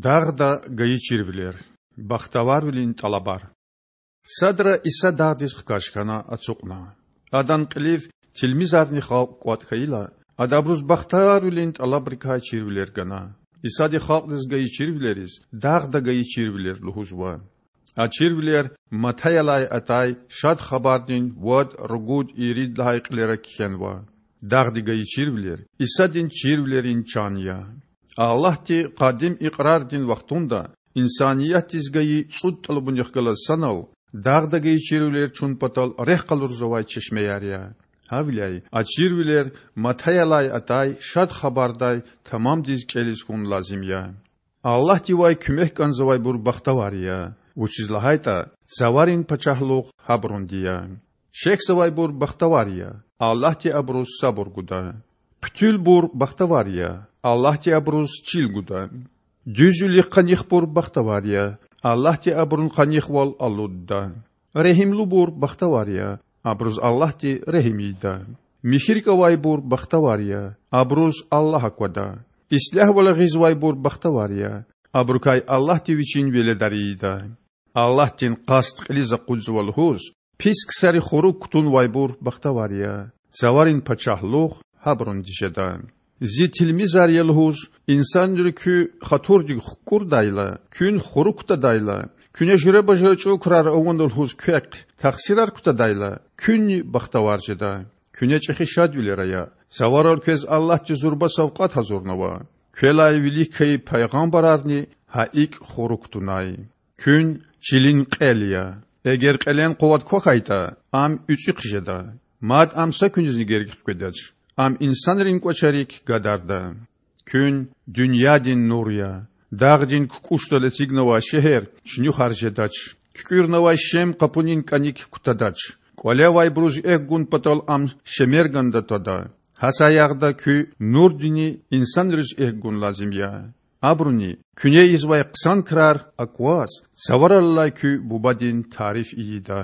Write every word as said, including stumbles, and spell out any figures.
Дагъда гайи чирвилер. Бахтаварвилин тӀалабар. Садра Иса дагъдиз хкаж хьана, ацукьна. Адан кьилив тилмизарни халкь кӀватӀ хьайила, Ада абуруз бахтаварвилин тӀалабрикай чирвилер гана. Исади халкьдиз гайи чирвилериз дагъда гайи чирвилер лугьузва. А чирвилер Матаялай атай Шад Хабардин вад, ругуд, ирид лагьай кьилера кхьенва. Дагъди гайи чирвилер Исадин чирвилерин чан я. Аллагьди къадим икьрардин вахтунда инсаниятдиз гайи цӀуд тӀалабунихъ галаз санал дагъда гайи чирвилер чун патал рехъ къалурзавай чешмеяр я. Гьавиляй а чирвилер Матаялай атай Шад Хабардай тамамдиз кӀелиз хьун лазим я. Аллагьдивай куьмек кӀанзавайбур бахтавар я, вучиз лагьайтӀа Цаварин пачагьлугъ гьабурунди я. Шехьзавайбур бахтавар я, Аллагьди абуруз сабур гуда. Хъуьтуьлбур бахтавар я, Аллагьди абуруз чил гуда. Дуьзвилихъ къанихбур бахтавар я, Аллагьди абурун къанихвал алудда. Регьимлубур бахтавар я, абуруз Аллагьди регьим ийида. Михьи рикӀ авайбур бахтавар я, абуруз Аллагь аквада. Ислягьвал гъизвайбур бахтавар я, абурукай Аллагьди Вичин веледар ийида. Аллагьдин къаст кьилиз акъудзава лугьуз, пис ксари хурук кутунвайбур бахтавар я, Цаварин пачагьлугъ гьабурунди жеда. Зи тилмизар я лугьуз, инсанри куь хатурдик хкӀурдайла, куьн хурук кутадайла, куьне жуьреба-жуьре чӀул крар авуна лугьуз квехъ тахсирар кутадайла, куьнни бахтавар жеда. Куьне чӀехи шадвилер ая, Цаварал квез Аллагьди зурба савкьват гьазурнава. Квелай вилик хьайи пайгъамбарарни гьа икӀ хурук кутунай. Куьн чилин кьел я. Эгер кьелен къуват квахьайтӀа, ам уьцӀуьхъ жеда. Мад ам са куьнизни герек хкведач. Ам инсанрин кӀвачерик гадарда. Куьн дуьньядин нур я. Дагъдин кукӀушдал эцигнавай шегьер чуьнуьхар жедач. КуькӀуьрнавай шем къапунин кӀаник кутадач. КӀвале авайбуруз экв гун патал ам шемерганда твада. Гьа саягъда куь нурдини инсанриз экв гун лазим я. Абуруни куьне ийизвай хъсан крар акваз, Цаварал алай куь Бубадин тариф ийида.